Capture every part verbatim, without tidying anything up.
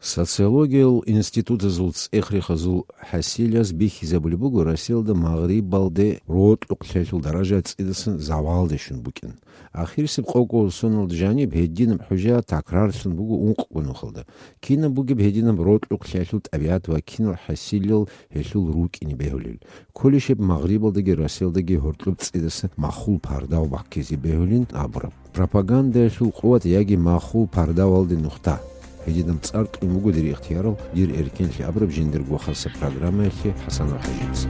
Социологиял институтазул цӀех-рехазул хӀасилаз бихьизабулеб буго, Россиялда магърибалде рокьукълъиялъул даража цӀидасан завалде щун букӀин. Ахирисеб къого соналда жаниб гьединаб хӀужа такрарлъун буго ункъго нухалда. Кинаб бугеб гьединаб рокьукълъиялъул тӀабигӀат ва кинал хӀасилал гьелъул рукӀине бегьулел? Кколищеб магърибалдаги Россиялдаги гьоркьоб цӀидасан махул пардав баккизе бегьулин абураб? Пропагандаялъул къуват яги махул пардавалде нухда. Гьединаб цӀар кьун буго дир ихтиярал, дир эркенлъи абураб жиндирго хасаб программаялъе ХӀасанов ХӀажица.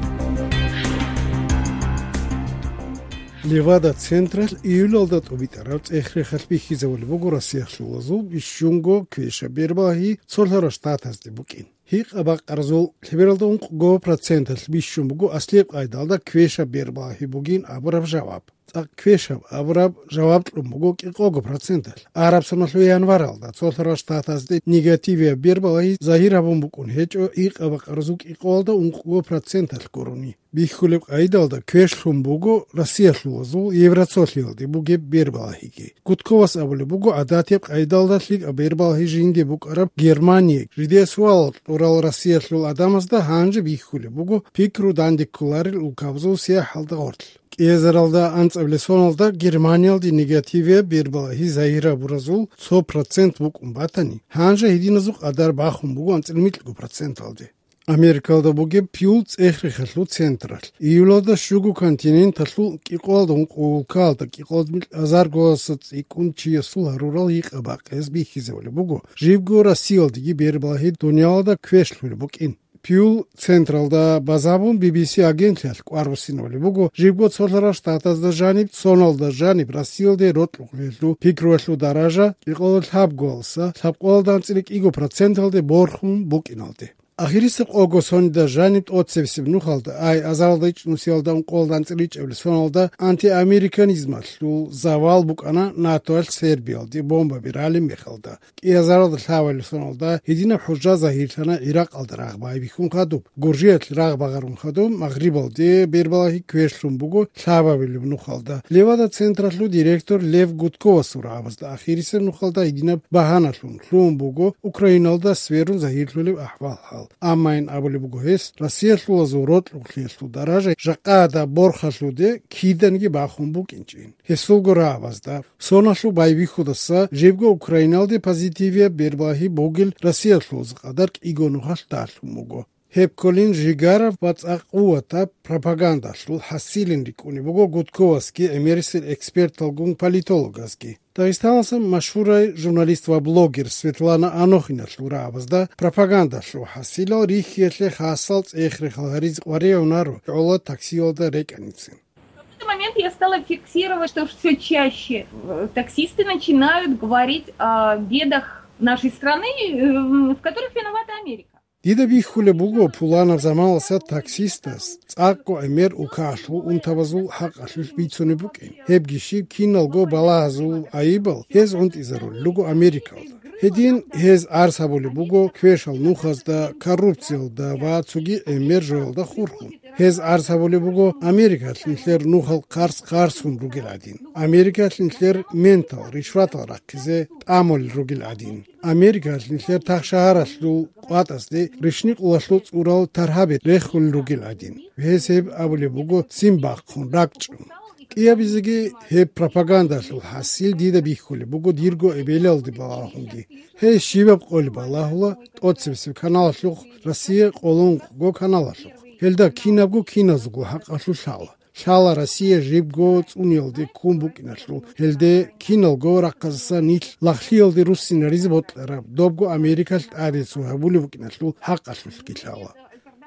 Левада-централъ июлалда тӀубитӀараб цӀех-рехалъ бихьизабулеб буго Россиялъулазул бищунго квешаб бербалагьи цолъарал штатазде букӀин. Гьикъа-бакъаразул лъебералда ункъго проценталъ бищун буго аслияб къайдалда квешаб бербалагьи бугин абураб жаваб. ЦӀакъ квешаб абураб жаваб кьун буго кӀикъого проценталъ. Араб соналъул январалда цолъарал штатазде негативияб бербалагьи загьир гьабун букӀун гьечӀо гьикъа-бакъаразул кӀикъоялда ункъго проценталъ гурони. Бихьулеб къайдалда квешлъун буго Россиялъулазул Евроцолъиялде бугеб бербалагьиги. Гудковас абулеб буго, гӀадатияб къайдалда лъикӀаб бербалагьи жинде букӀараб Германия жидее суалал кьурал Россиялъул гӀадамазда гьанже бихьулеб буго пикру данде кколарел улкабазул сияхӀалда гъорлъ. КӀиазаралда анцӀабилеб соналда Германиялде негативияб бербалагьи загьир гьабуразул цо процент букӀун батани, гьанже гьединазул къадар бахун буго анцӀила микьго проценталде. Америкалда бугеб Пью цӀех-рехалъул централъ июлалда щуго континенталъул кӀикъоялда ункъо улкаялда кӀикъоялда микь азарго гьасда цӀикӀкӀун чиясул гьарурал гьикъа-бакъиялъ бихьизабулеб буго, жибго Россиялдеги бербалагьи дуниялалда квешлъулеб букӀин. Пью централда базабун Би Би Си агентлъиялъ кӀвар буссинабулеб буго, жибго цолъарал штатазда жаниб, соналда жаниб Россиялде рокьукълъиялъул пикруялъул даража кӀикъоялда лъабгоялдаса лъабкъоялда анцӀила кӀиго проценталде борхун букӀиналде. Ахирисеб къого соналда жаниб тӀоцебесеб нухалда, ай азаралда ичӀнусиялда ункъоялда анцӀила ичӀабилеб соналда антиамериканизмалъул завал букӀана НАТОялъ Сербиялде бомбаби ралеб мехалда. КӀиазаралда лъабабилеб соналда гьединаб хӀужа загьирлъана ГӀиракъалда рагъ байбихьун хадуб, Гуржиялъ рагъ багъарун хадуб, Магърибалде бербалагьи квешлъун буго лъабабилеб нухалда. Левада-централъул директор Лев Гудковасул рагӀабазда ахирисеб нухалда гьединаб багьаналъун лъугьун буго Украиналда сверун загьирлъулеб ахӀвал-хӀал. Аммайин абулеб буго гьес, Россиялъулазул рокьукълъиялъул даража жакъа гьадаб борхалъуде киданиги бахун букӀинчӀин. Гьесулго рагӀабазда, соналъул байбихьудаса жибго Украиналде позитивияб бербалагьи бугел Россиялъулазул къадар кӀиго нухалъ далъун буго. Гьеб кколин Жигаров ва цӀакъ къуватаб пропагандалъул хӀасилин рикӀкӀунеб буго Гудковасги гӀемерисел эксперталгун политологазги. Дагъистаналъа машгьурай журналист ва блогер Светлана Анохиналъул рагӀабазда пропагандалъул хӀасилал рихьиялъе хасал цӀех-рехал гьаризе къваригӀунаро гӀоло таксиялда рекӀаницин. В какой-то момент я стала фиксировать, что все чаще э, таксисты начинают говорить о бедах нашей страны, э, в которых виновата Америка. Дида бихьулеб буго, пуланаб заманалъа таксистас цӀакъго гӀемер улкаялъул унтабазул хӀакъалъулъ бицунеб букӀин. Гьебги щиб, киналго балагьазул гӀайибал гьез гӀунтӀизарулел руго Америкалда. Гьедин гьез арс гьабулеб буго квешал нухазда, коррупциялда ва цоги гӀемер жоялда хурхун. Гьез арс гьабулеб буго Америкалъ нилъер нухал хъарс-хъарсун ругел гӀадин, Америкалъ нилъер ментал, ришватал рахъизе тӀамулел ругел гӀадин, Америкалъ нилъер тахшагьаралъул къватӀасде ришникъулалъул цӀурал таргьаби рехулел ругел гӀадин. Гьез гьеб абулеб буго ццин бахъун, ракӀчӀун. КӀиабизеги гьеб пропагандалъул хӀасил дида бихьулеб буго дирго эбелалде балагьунги. Гьей щибаб къоли балагьула тӀоцебесеб каналалъухъ, Россия къоло ункъго каналалъухъ. Гьелда кинабго киназулго хӀакъалъулъ лъала. Лъала Россия жибго цӀуниялде ккун букӀиналъул, гьелде киналго рахъазасан нилъ лагълъиялде руссинаризе бокьараб, добго Америкалъ тӀаде цо гьабулеб букӀиналъул хӀакъалъулъги лъала.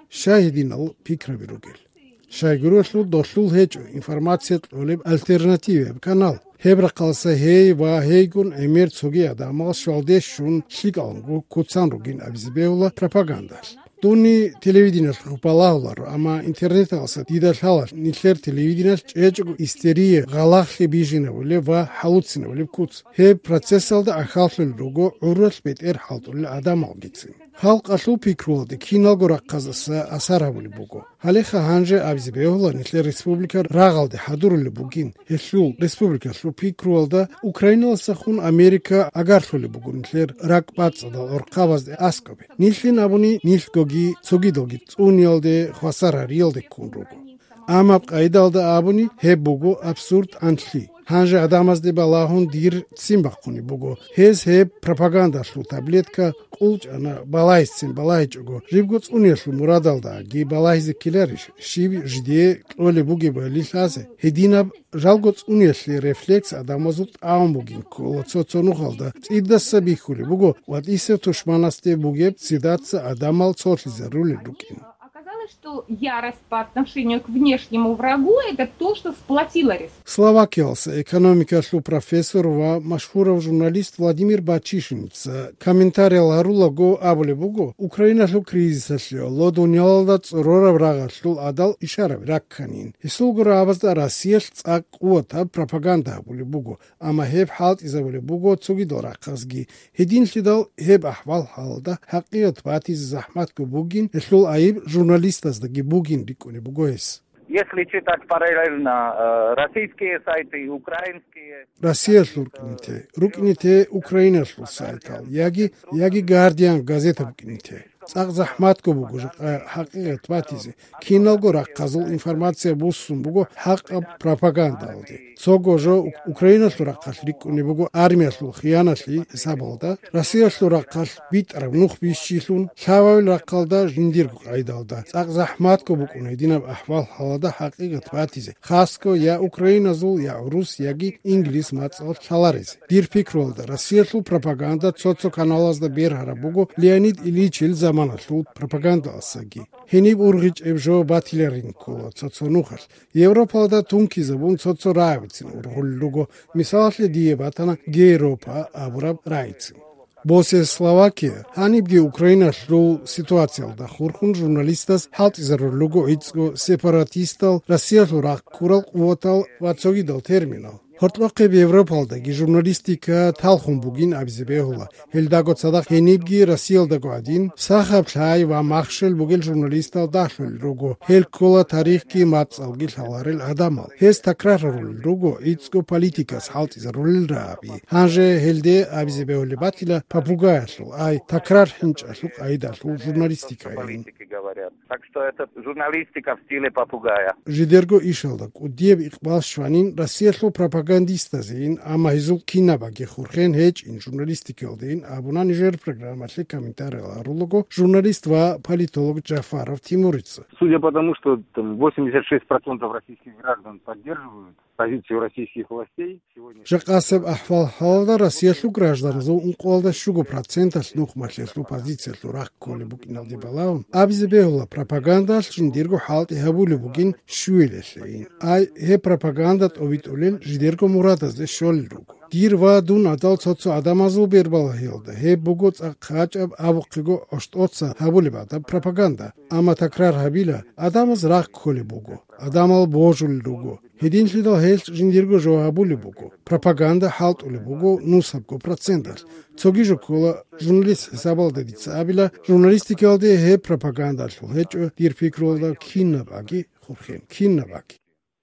Щай гьединал пикраби ругел? Щайгурелъул долъул гьечӀо информация кьолеб альтернативияб канал. Гьеб рахъалъа гьей ва гьейгун гӀемер цоги гӀадамал щвалде щун лъикӀалгун куцан ругин абизе бегьула пропагандалъ. Дунни телевидениялъухъ балагьуларо, амма интернеталъа дида лъала нилъер телевидениялъ чӀечӀого истерия, гъалагълъи бижинабулеб ва хӀалуцинабулеб куц. Гьеб процессалда ахӀаллъулел руго гӀуралъ бетӀер хӀалтӀулел гӀадамалгицин. Халкъалъул пикруялде киналго рахъазаса асар гьабулеб буго. Гьалеха гьанже абизе бегьула нилъер республика рагъалде хӀадурулеб бугин. Гьелъул республикалъул пикруялда Украиналасахун Америка агарлъулеб буго нилъер ракӀбацӀцӀадал гӀорхъабазде аскӀобе. Нилъин абуни, нилъгоги цогидалги цӀуниялде, хвасар гьариялде ккун руго. Амма къайдалда абуни, гьеб буго абсурд анлъи. Гьанже гӀадамазде балагьун дир ццин бахъунеб буго. Гьез гьеб пропагандалъул таблетка къулчӀана, балагьицин балагьичӀого, жибго цӀуниялъул мурадалдаги балагьизе ккеларищ, щиб жидее кьолеб бугебали лъазе? Гьединаб жалго цӀуниялъе рефлекс гӀадамазул тӀамун бугин ккола цо-цо нухалда, цӀидаса бихьулеб буго ва тӀисев тушманасде бугеб ццидаса гӀадамал цолъизарулел рукӀин. Оказалось, что ярость по отношению к внешнему врагу — это то, что сплотило республику. Словакиялса экономикалъул профессор ва машгьурав журналист Владимир Бачишиница комментариял гьарулаго абулеб буго, Украиналъул кризисалъе, ло дуниялалда цӀорораб рагъалъул гӀадал ишараби ракканин. Гьесул гурабазда Россиялъ цӀакъ къуватаб пропаганда гьабулеб буго, амма гьеб хӀалтӀизабулеб буго цогидал рахъазги. Гьединлъидал гьеб ахӀвал-хӀалалда хӀакъикъат батизе захӀматго бугин, гьелъул айиб журналистаздаги бугин рикӀкӀунеб буго гьес. Если читать параллельно, э, российские сайты и украинские, Россиялъул рукӀине те, рукӀине те Украиналъул сайтал, яги, яги Гардиан газета букӀине те. ЦӀакъ захӀматго буго жакъа хӀакъикъат батизе, киналго рахъазул информация буссун буго хӀакъаб пропагандалде. Цого жо Ук-, Украиналъул рахъалъ рикӀкӀунеб буго армиялъул хияналъи гьисабалда, Россиялъул рахъалъ битӀараб нух бищилъун, лъабабил рахъалда жиндирго къайдалда. ЦӀакъ захӀматго букӀуна гьединаб ахӀвал-хӀалалда хӀакъикъат батизе, хасго я украиназул, я гӀурус, яги инглис мацӀалъ лъаларизе. Дир пикруялда, Россиялъул пропаганда цо-цо каналазда бергьараб буго Леонид Ильичил заманалъул пропагандаласаги. Гьениб ургъичӀеб жо батиларин ккола цо-цо нухалъ. Европалда тункизабун цо-цо рагӀабицин ургъулел руго, мисалалъе, дие батана Гейропа абураб рагӀицин. Босиялъ Словакия гьанибги Украиналъул ситуациялда хурхун журналистаз хӀалтӀизарулел руго гӀицӀго сепаратистал, Россиялъул рахъ ккурал къуватал ва цогидал терминал. Гьоркьохъеб Европалдаги журналистика талхун бугин абизе бегьула. Гьелдаго цадахъ гьенибги Россиялдаго гӀадин, сахаб лъай ва махщел бугел журналистал дагьлъулел руго. Гьел ккола тарихги мацӀалги лъаларел гӀадамал. Гьез такрар гьарулел руго гӀицӀго политикас хӀалтӀизарулел рагӀаби. Гьанже гьелде абизе бегьулеб батила попугаялъул, ай, такрар хӀинчӀалъул къайдалъул журналистикайин. Так что это журналистика в стиле попугая. Жидерго ишалда кӀудияб икъбал щванин Россиялъул пропагандистазейин, амма гьезул кинабаги хурхен гьечӀин журналистикалдейин абуна нижер программалъе комментариял гьарулаго журналист ва политолог Джафаров Тимурица. Судя по тому, что там восемьдесят шесть процентов российских граждан поддерживают позицию российских властей, сегодня Жакъасеб ахӀвал-хӀалалда Россиялъул гражданазул ункъоялда щуго проценталъ нухмалъиялъул позициялъул рахъ кколеб букӀиналде балагьун, абизе бегьула пропагандалъ жиндирго хӀалтӀи гьабулеб бугин щуялъейин. Ай, гьеб пропаганда тӀобитӀулел жидерго мурадазде щолел руго. Дир ва дун гӀадал цо-цо гӀадамазул бербалагьиялда гьеб буго цӀакъ гьачӀаб абухъего гӀощтӀоца гьабулеб гӀадаб пропаганда. Амма такрар гьабила, гӀадамаз рахъ кколеб буго, гӀадамал божулел руго. Гьединлъидал гьелъ жиндирго жо гьабулеб буго, пропаганда хӀалтӀулеб буго нусабго проценталъ. Цоги жо ккола, журналист хӀисабалда дица абила, журналистикалде гьеб пропагандалъул гьечӀо, дир пикруялда, кинабаги хурхен, кинабаги.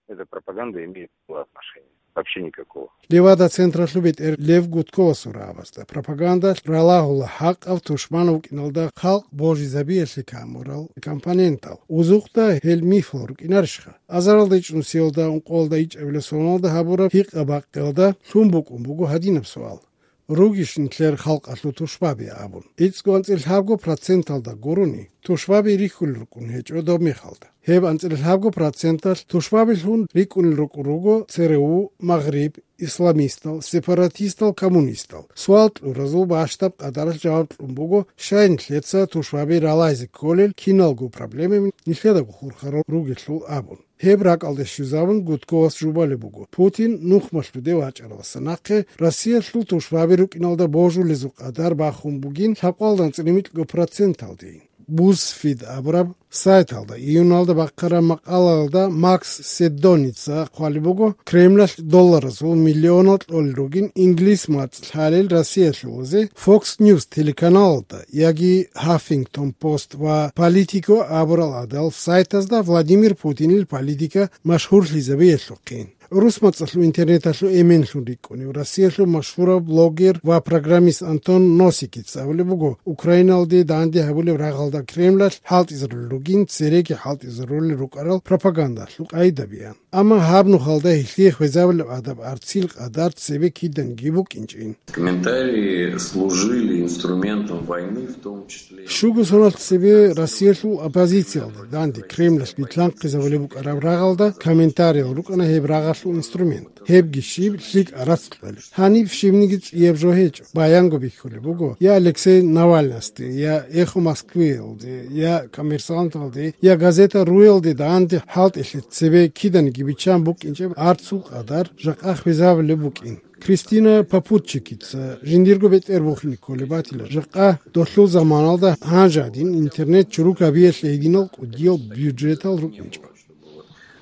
Эта пропаганда имеет мало отношения, вообще никакого. Левада-централъул бетӀер Лев Гудковасул рагӀабазда пропагандалъ ралагьула хӀакъав тушман вукӀиналда халкъ божизабиялъе камурал компонентал. Узухъда гьел мифал рукӀинарищха? Азаралда ичӀнусиялда, ункъоялда ичӀабилеб соналда гьабураб гьикъа-бакъиялда лъун букӀун буго гьадинаб суал: «Ругищ нилъер халкъалъул тушбаби?» абун. ГӀицӀго анцӀила лъабго проценталда гурони, тушбаби рихьулел рукӀун гьечӀо доб мехалда. Гьеб анцӀила лъабго проценталъ тушбабилъун рикӀкӀунел рукӀун руго ЦРУ, Магъриб, исламистал, сепаратистал, коммунистал. Суал кьуразул бащдаб къадаралъ жаваб кьун буго, щай нилъеца тушбаби ралагьизе кколел киналго проблемаби нилъедаго хурхарал ругелъул абун. Гьеб ракӀалде щвезабун Гудковас жубалеб буго: Путин нухмалъуде вачӀараваса нахъе Россиялъул тушбаби рукӀиналда божулезул къадар бахун бугин лъабкъоялда анцӀила микьго проценталдейин. BuzzFeed абураб сайталда июналда бахъараб макъалаялда Макс Седдоница хъвалеб буго, Кремлалъ долларазул миллионал кьолел ругин инглис мацӀ лъалел Россиялъулазе Fox News телеканалалда яги Huffington Post ва Politico абурал гӀадал сайтазда Владимир Путинил политика машгьурлъизабиялъухъин. ГӀурус мацӀалъул интернеталъул эменлъун рикӀкӀунев Россиялъул машгьурав блогер ва программист Антон Носикица абулеб буго, Украиналде данде гьабулеб рагъалда Кремлалъ хӀалтӀизарулел ругин, цереги хӀалтӀизарулел рукӀарал пропагандалъул къайдабиян. Амма гьаб нухалда гьелъие хвезабулеб адаб арцил къадар цебе киданиги букӀинчӀин. Комментарии служили инструментом войны, в том числе. Щуго соналъ цебе Россиялъул оппозициялда данде Кремлалъ битлъанхъизабулеб букӀараб рагъалда комментариял рукӀана гьеб рагъалъул инструмент. Гьебги щиб, лъикӀ арацкьулеб. Гьаниб щибниги цӀияб жо гьечӀо. Баянго бихьулеб буго я Алексей Навальнасде, я «Эхо Москвы»ялде, я «Коммерсанталде», я газета «Руялде» данде хӀалтӀилъи цебе киданиги биччан букӀинчӀеб арцул къадар жакъа хвезабулеб букӀин. Кристина Попутчикица жиндирго бетӀер бухине кколеб батила, жакъа долъул заманалда гьанже гьадин интернет чурукабиялъе гьединал кӀудиял бюджетал рукӀинчӀо.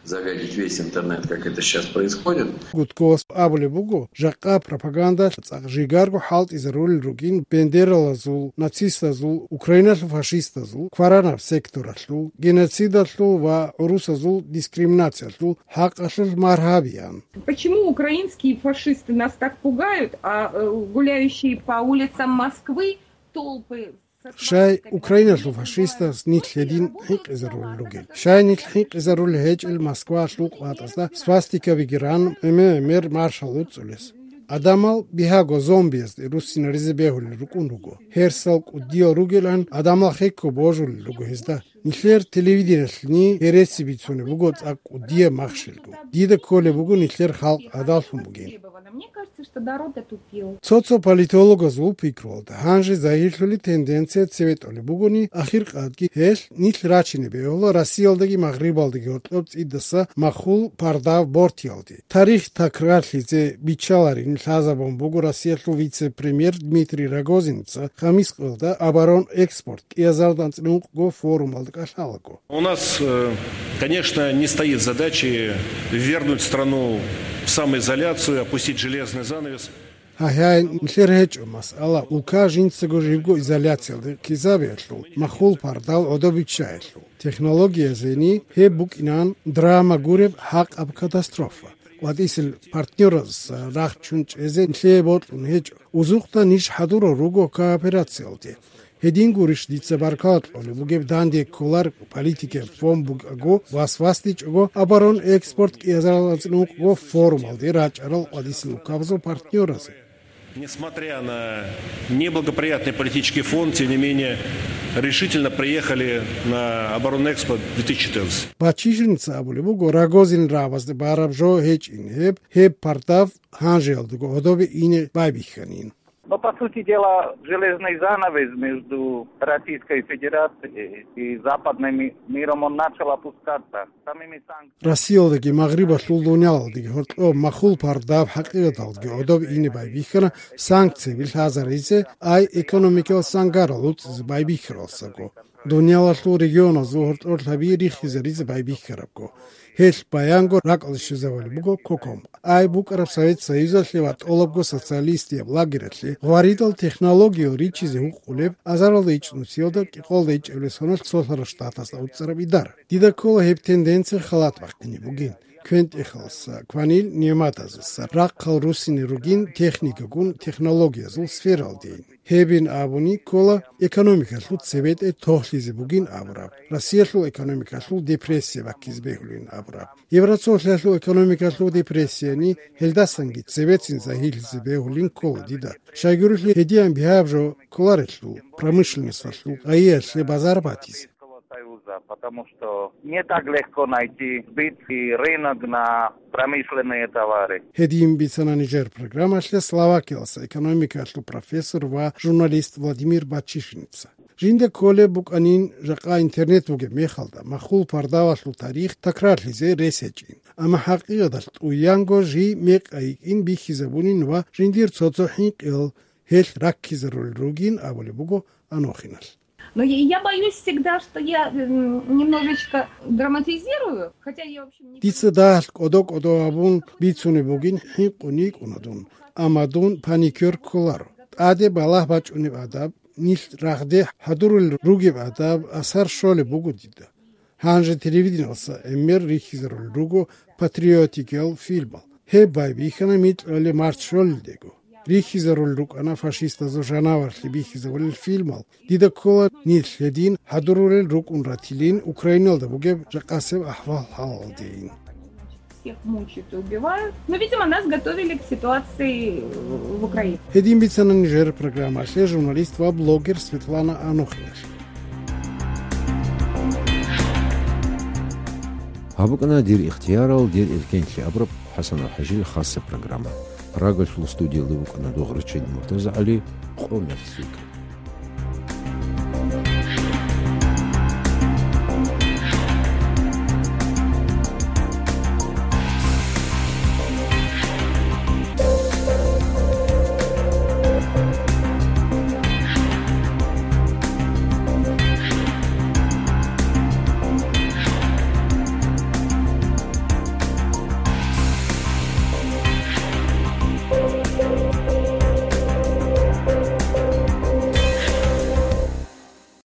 Загадить весь интернет, как это сейчас происходит. Гудковас абулеб буго, жакъа пропаганда цӀакъ жигарго хӀалтӀизарулел ругин бендералазул, нацистазул, Украиналъул фашистазул, кваранаб секторалъул, геноцидалъул ва гӀурусазул дискриминациялъул хӀакъалъулъ маргьабиян. Почему украинские фашисты нас так пугают, а э, гуляющие по улицам Москвы толпы со Щай свастиками Украиналъул фашистаз нилъ гьедин хӀинкъизарулел ругел? Щай нилъ хӀинкъизарулел гьечӀел Москваялъул къватӀазда свастикабиги ран, гӀемер-гӀемер маршал уцӀулес? Адамал бигьаго зомбиязде руссинаризе бегьулел рукӀун руго. Гьерсал кӀудиял ругелан, адамал хекко божулел руго гьезда. Нилъер телевидениялъни гьереси бицунеб буго цӀакъ кӀудияб махщелго. Дида кколеб буго нилъер халкъ гӀадаллъун бугин. Мне кажется, что народ отупел. Цо-цо политологазул пикруялда гьанже загьирлъули тенденция цеве тӀолеб бугони, ахиркъадги гьелъ нилъ рачине бегьула Россиялдаги Магърибалдаги гьоркьоб цӀидаса махул пардав бортиялде. Тарих такрарлъизе биччаларин лъазабун буго Россиялъул вице-премьер Дмитрий Рогозинца хамис къоялда оборонэкспорт кӀиазардан цӀинукъго форумалда кӀалъалаго. У нас, э, конечно, не стоит задачи ввергнуть страну в самоизоляцию, опустить железный занавес. Гьайгьай, нилъер гьечӀо масъала улка жинцаго живго изоляциялде ккезабиялъул, махул пардал гӀодобиччаялъул. Технологиязени гьеб букӀинан драма гуреб гьакъаб катастрофа. КъватӀисел партнёраз рахчун чӀезе нилъее бокьун гьечӀо. Узухъда ниж хӀадурал руго кооперациялде. Гьедин гурищ дица баркала кьолеб бугеб данде кколар политикаб фон бугӀаго, вас-васдичӀого, оборон экспорт кӀиазаралазул ункъго форумалде рачӀарал къватӀисел улкабазул партнёразе. Несмотря на неблагоприятный политический фон, тем не менее, решительно приехали на оборонный экспо две тысячи четырнадцать. Бачишинца абулеб буго, Рогозин рагӀабазда бараб жо гьечӀин гьеб, гьеб пардав гьанжеялдаго гьодобе ине байбихьанин. Но, по сути дела, железный занавес между Российской Федерацией и западным ми-, миром, он начал опускаться самими санкциями. Россиялдаги Магърибалъул дуниялалдаги гьоркьоб махул пардаб хӀакъикъаталдаги гӀодоб ине байбихьана санкциябил лъазаризе, ай экономикиял сангарал уцӀизе байбихьаралсаго. Дуниялалъул регионазул гьоркьор лъаби рихизаризе байбихьарабго, гьелъ баянго ракӀалде щвезабулеб буго КОКОМ. Ай букӀараб Совет Союзалъе ва тӀолабго социалистияб лагералъе гъваридал технологиял ричизе гьукъулеб, азаралда ичӀнусиялда кӀикъоялда ичӀабилеб соналъ цолъарал штатазда уцӀцӀараб идара. Дида ккола гьеб тенденция халат бахъине бугин. КвентӀехаласа, кванил нигӀматазаса рахъал руссине ругин техникагун, технологиязул сфералдейин. Гьебин абуни ккола экономикалъул цебетӀе тохлъизе бугин абураб, Россиялъул экономикалъул депрессия баккизе бегьулин абураб. Евроцолъиялъул экономикалъул депрессияни гьелдасанги цебецин загьирлъизе бегьулин ккола дида. Щайгурелъул гьедиан бигьаб жо кколарелъул, промышленносталъул гъайиялъе базар батизе. Союза, потому что не так легко найти сбыт и рынок на промышленные товары. Гьедин бицана нижер программалъе Словакиялса экономикалъул профессор ва журналист Владимир Бачишинца. Жинда кколеб букӀанин, жакъа интернет бугеб мехалда, махул пардавалъул тарих такрарлъизе рес гьечӀин. Амма хӀакъикъаталъ тӀуянго жий мекъа йикӀин бихьизабунин ва жиндир цо-цо хӀинкъиял гьелъ раккизарулел ругин абулеб буго Анохиналъ. Но я, я боюсь всегда, что я м, немножечко драматизирую, хотя я, в общем, не... Дица дагьал кӀодо-кӀодо абун бицунеб бугин, хӀинкъун йикӀуна дун, амма дун паникер кколаро. ТӀаде балагь бачӀунеб адаб, нилъ рагъде хӀадурулел ругеб адаб, асар щолеб буго дида. Гьанже телевидениялъа гӀемер рихьизарулел руго патриотикиял фильмал. Гьеб байбихьана микьалъе март щолелдего. Рихьизарулел рукӀана фашистазул жанаварлъи бихьизабулел фильмал. Дида ккола нилъ гьедин хӀадурулел рукӀун ратилин Украиналда бугеб жакъасеб ахӀвал-хӀалалдейин. Всех мучают и убивают. Но, видимо, нас готовили к ситуации в Украине. Гьедин бицана нижер программалъе журналист ва блогер Светлана Анохиналъ. Гьаб букӀана «Дир ихтиярал, дир эркенлъи» абураб ХӀасан АлхӀажил хасаб программа. Прагалъул студиялда вукӀана Дугърачил МуртазагӀали, къо мехлъи.